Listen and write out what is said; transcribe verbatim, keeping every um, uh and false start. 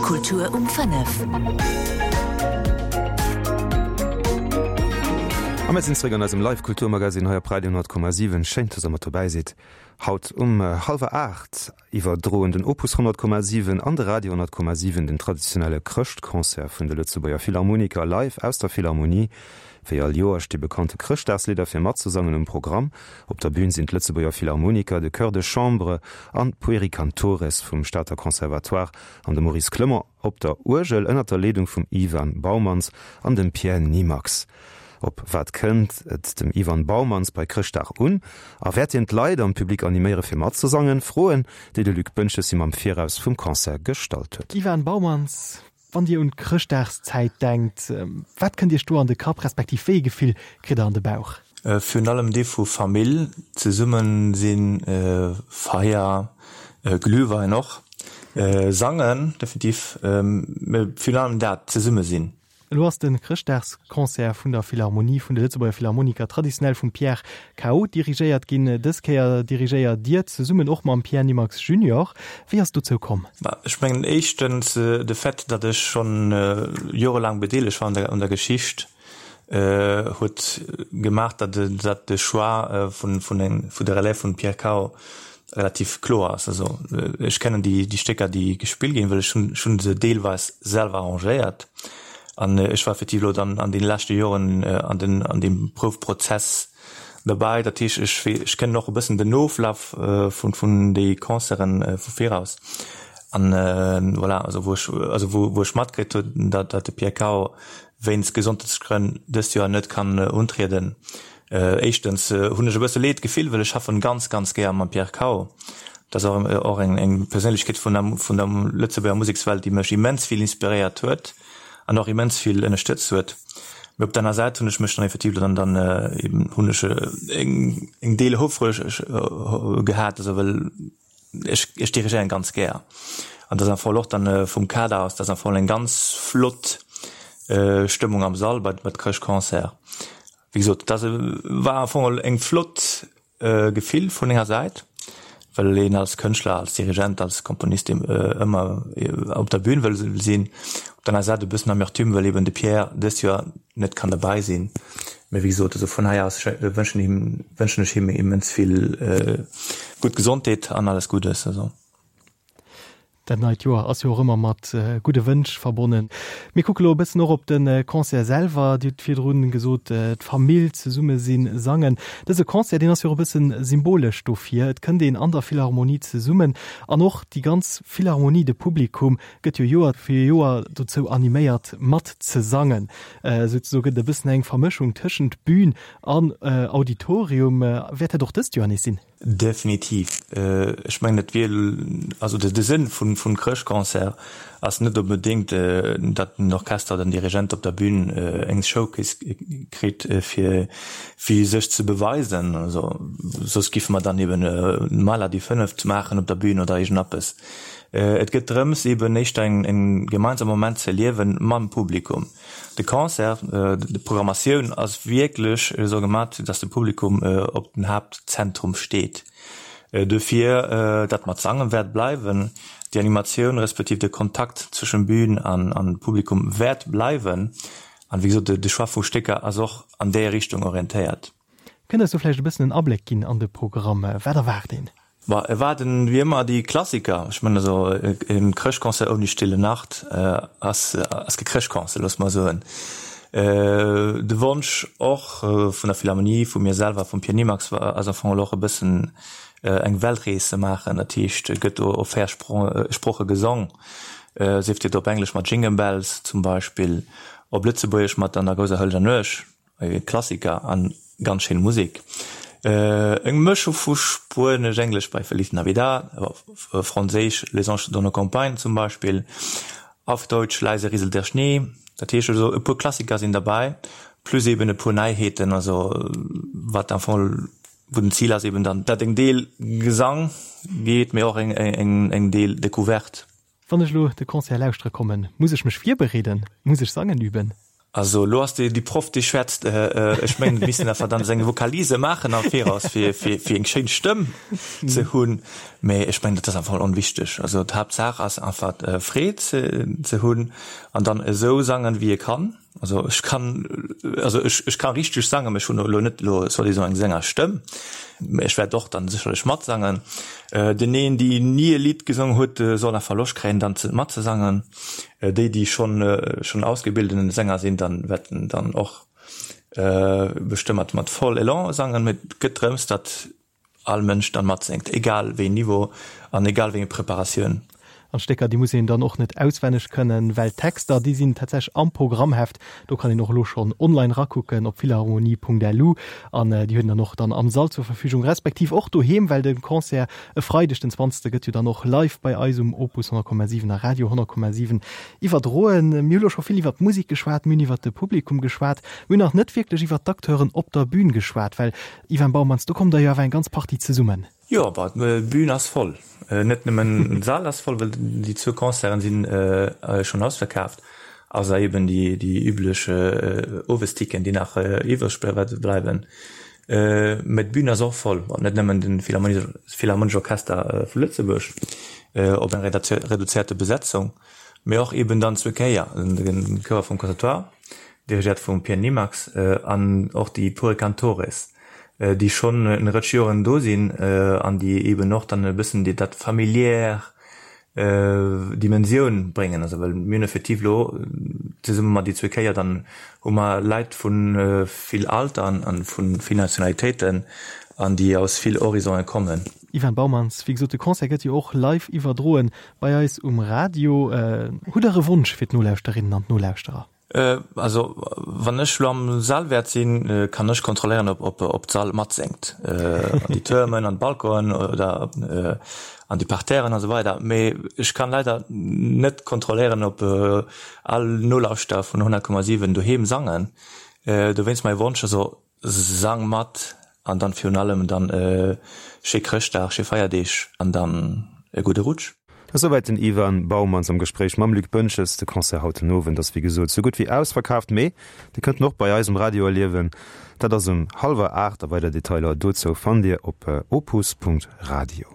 Kultur um fënnef. A mir sinn zeréck an eisem Live Kulturmagazin hei op Radio honnert Komma siwen. Schéin, dass der mat dobäi sidd. Haut um hallwer aacht iwwerdroen den Opus honnert Komma siwen an de Radio honnert Komma siwen den traditionelle Chrëschtconcert vun de Lëtzebuerger Philharmoniker live aus der Philharmonie. Wéi all Joer sti bekannte Chrëschtdagslidder fir matzesangen um Programm. Op der Bün sinn d'Lëtzebuerger Philharmoniker, de Chœur de Chambre an d'Pueri Cantores vum Stater Conservatoire an de Maurice Clement op der Uergel ënner der Leedung vum Ivan Baumans an dem Pierre Nimax. Op wat kënnt et dem Ivan Baumans bei Chrëschtdag un? A wäert hien d'Leit am Public animéiere fir matzesangen? Froen, déi de Luc Boentges him am Viraus vum Concert gestallt huet. Ivan Baumans, wann Dir un d'Chrëschtdagszäit denkt, wat kënnt Iech do an de Kapp, respektiv wéi ee Gefill kritt Der an de Bauch? Virun allem dee vu Famill, zesumme sinn, Feier, Glühwein och, sangen definitiv, mee virun allem dat, zesumme sinn. Elo ass de Chrëschtdagsconcert vun der Philharmonie vun de Lëtzebuerger Philharmoniker traditionell vum Pierre Cao dirigéiert ginn. Dës Kéier dirigéiert Dir zesummen och mam Pierre Nimax Junior. Wéi ass et dozou komm? Ech mengen éischtens de Fait, datt ech schonn jorelaang bedeelegt war un der Geschicht, huet gemaach, datt de Choix vun der Relève vum Pierre Cao relativ kloer ass. Also ech kennen déi Stécker, déi gespillt ginn, well ech hunn se deelweis selwer arrangéiert. An ech war effektiv elo dann an deene leschte Joren an den, an deem Proufprozess derbäi. Dat heescht, ech, ech kennen och e bëssen den Oflaf vun, vun déi Concerten vu viraus. An voilà, also wou ech, also wou, wou ech matkritt hunn, datt, datt de Pierre Cao wéinst Gesondheetsgrënn dëst Joer net kann untrieden, éischtens hunn ech e bësse Leed gefillt, well ech schaffen ganz, ganz gär mam Pierre Cao. Dat ass och, och eng, eng Perséinlechkeet vun der, vun der Lëtzebuerger Musekswelt, déi mech immens vill inspiréiert huet. an och immens vill ënnerstëtzt huet. Mee op der aner Säit hunn ech mech dann effektiv dann dann eben hunn ech eng eng Deel houfreg gehat, also well ech ech dirigéieren ganz gär. An dat ass am Fall och dann vum Kader aus, dat ass am Fall eng ganz flott Stëmmung am Sall bei bei Chrëschtconcert. Wéi gesot, dat war am Fong eng flott Gefill vun enger Säit, well een als Kënschtler, als Dirigent, als Komponist ëmmer op der Bühn wëll sinn. Op der aner Säit e bëssen Amertume, well eben de Pierre dëst Joer net kann derbäi sinn. Mee wéi gesot, also vun hei aus wënschen him, wënschen ech him immens vill gutt Gesondheet an alles Guddes. Also. Dat neit Joer ass jo och ëmmer mat gudde Wënsch verbonnen. Mir kucke lo e bëssen och op de Concert selwer. Dir hutt virdrun gesot, d'Famill, zesumme sinn, sangen. Dëse Concert, deen ass jo och e bëssen symbolesch dofir. Et kënnt een an der Philharmonie zesummen an och déi ganz Philharmonie, de Publikum gëtt jo Joer fir Joer dozou animéiert mat ze sangen. Souzesoe gëtt et e bëssen eng Vermëschung tëschent Bühn an Auditorium. Wäert dat och dëst Joer nees sinn? Definitiv. Ech mengen, et wier, also de Sënn vun Chrëschtconcert ass net onbedéngt, datt den Orchester oder den Dirigent op der Bühn eng Showcase kritt, fir sech ze beweisen. Also soss giffe mer dann eben Mahler die Fünft maachen op der Bühn oder iergendeppes. Et gëtt drëms, eben éischter en gemeinsame Moment ze erliewen mam Publikum. De Concert, d'Programmatioun ass wierklech esou gemat, dass de Publikum op den Haaptzentrum steet. Dofir, dat mat Sange wäert bleiwen, déi Animatioun respektiv de Kontakt zwëschen Bühn an Publikum wäert bleiwen. An wéi gesot, de Choix vu Stécker ass och an déi Richtung orientéiert. Kënnt eis do vläicht e bëssen en Abléck ginn an de Programm? Wat erwaart een? Bah, erwaarden wéi ëmmer déi Klassiker. Ech mengen also e Chrëschtconcert ouni Stille Nacht ass ass kee Chrëschtconcert, loosse mer soen. De Wonsch och vun der Philharmonie, vu mir selwer, vum Pierre Nimax war ass am Fong och e bëssen eng Weltrees ze maachen. Dat heescht, et gëtt do op véier Sproche gesong, sief dat op Englesch mat Jingle Bells zum Beispill, op Lëtzebuergesch mat An der grouser hëlleger Nuecht. E Klassiker an ganz schéin Musek. Eng Mëschung vu Spuenesch, Englesch bei Feliz Navidad, Franséisch Les anges dans nos campagnes zum Beispill, auf Deutsch Leise rieselt der Schnee. Dat heescht also e puer Klassiker sinn derbäi, plus eben e puer Neiheeten, also wat am Fong wou den Zil ass eben dann dat eng Deel Gesang geet, mee och eng eng Deel Decouverte. Wann ech elo de Concert lauschtere kommen, muss ech mech virbereeden? Muss ech sangen üben? Also elo ass déi Proff déi schwätzt. Ech mengen et misst een einfach dann seng Vokalise maachen am Viraus fir fir fir eng schéin Stëmm ze hunn. Mee ech mengen dat ass einfach onwichteg. Also d'Haaptsaach ass einfach Freed ze ze hunn an dann esou sangen wéi ee kann. Also ech kann also ech ech ka richteg sangen, mee ech hunn elo net elo soi-disant eng Sängerstëmm. Mee ech wäert och dann sécherlech matsangen. Den een déi ni e Lidd gesongen huet, soll einfach Loscht kréien dann ze matzesangen. Déi déi schonn schonn ausgebildeten Sänger sinn, dann wäerten dann och bestëmmt mat voll Elan sangen. Mee et gëtt drëms, datt all Mënsch dann matséngt, egal wéi een Niveau an egal wéi eng Preparatioun. An d'Stécker, déi muss een dann och net auswenneg kënnen, well d'Texter, déi sinn tatsächlech am Programmheft. Do kann een och elo schonn online rakucken op philharmonie.lu an déi huet een dann och dann am Sall zur Verfügung, respektiv och doheem, well de Concert e Freideg den zwanzegste gëtt jo dann och live bei eis um Opus honnert Komma siwen a Radio honnert Komma siwen iwwerdroen. Mir hu lo scho vill iwwert d'Musek geschwat, mir hunn iwwert de Publikum geschwat, mir hunn nach net wierklech iwwert d'Acteuren op der Bün geschwat, well Ivan Baumans, do kommt der jo awer eng ganz Partie zesummen. Jo, bah, d'Bün ass voll. Net nëmmen de Sall ass voll, well déi zwou Concerten si schonn ausverkaaft, ausser eben déi üblech Owesticken, déi nach iwwreg bleiwen. Mä d'Bün ass och voll, net nëmmen de Philharmonesche Orchester vu Lëtzebuerg op eng reduzéierte Besetzung, mä och eben dann zwou Kéier de Chouer vum Conservatoire, dirigéiert vum Pierre Nimax, an och déi Pueri Cantores, déi schonn en Rëtsch Joren do sinn an déi eben och dann e bëssen déi dat familiär Dimensioun bréngen. Also well mir hunn effektiv elo zesumme mat déi zwee Chéier, dann hu mer Leit vu vill Alter an vu vill Nationalitéiten an déi aus vill Horizonte kommen. Ivan Baumans, Wéi gesot, de Concert gëtt jo och live iwwerdroen bei eis um Radio. Hutt Der e Wonsch fir d'Nolauschterinnen an d'Nolauschterer? Also wann ech lo am Sall wäert sinn, kann ech kontrolléieren ob ob d'Sall matséngt, an déi Türmen, an d'Balconen oder an déi Parterren a sou weider. Mee ech kann leider net kontrolléieren ob all Nolauschterer vun honnert Komma siwen doheem sangen. Dowéinst mäi Wonsch, also sang mat an dann virun allem dann schéi Chrëschtdag, schéi Feierdeeg an dann e gudde Rutsch. Esouwäit den Ivan Baumans am Gespréich mam Luc Boentges. De Concert haut den Owend ass wéi gesot sou gutt wéi ausverkaaft, mee Dir kënnt en och bei eis um Radio erliewen. Dat ass um hallwer aacht a weider Detailer dozou fannt Dir op opus Punkt radio.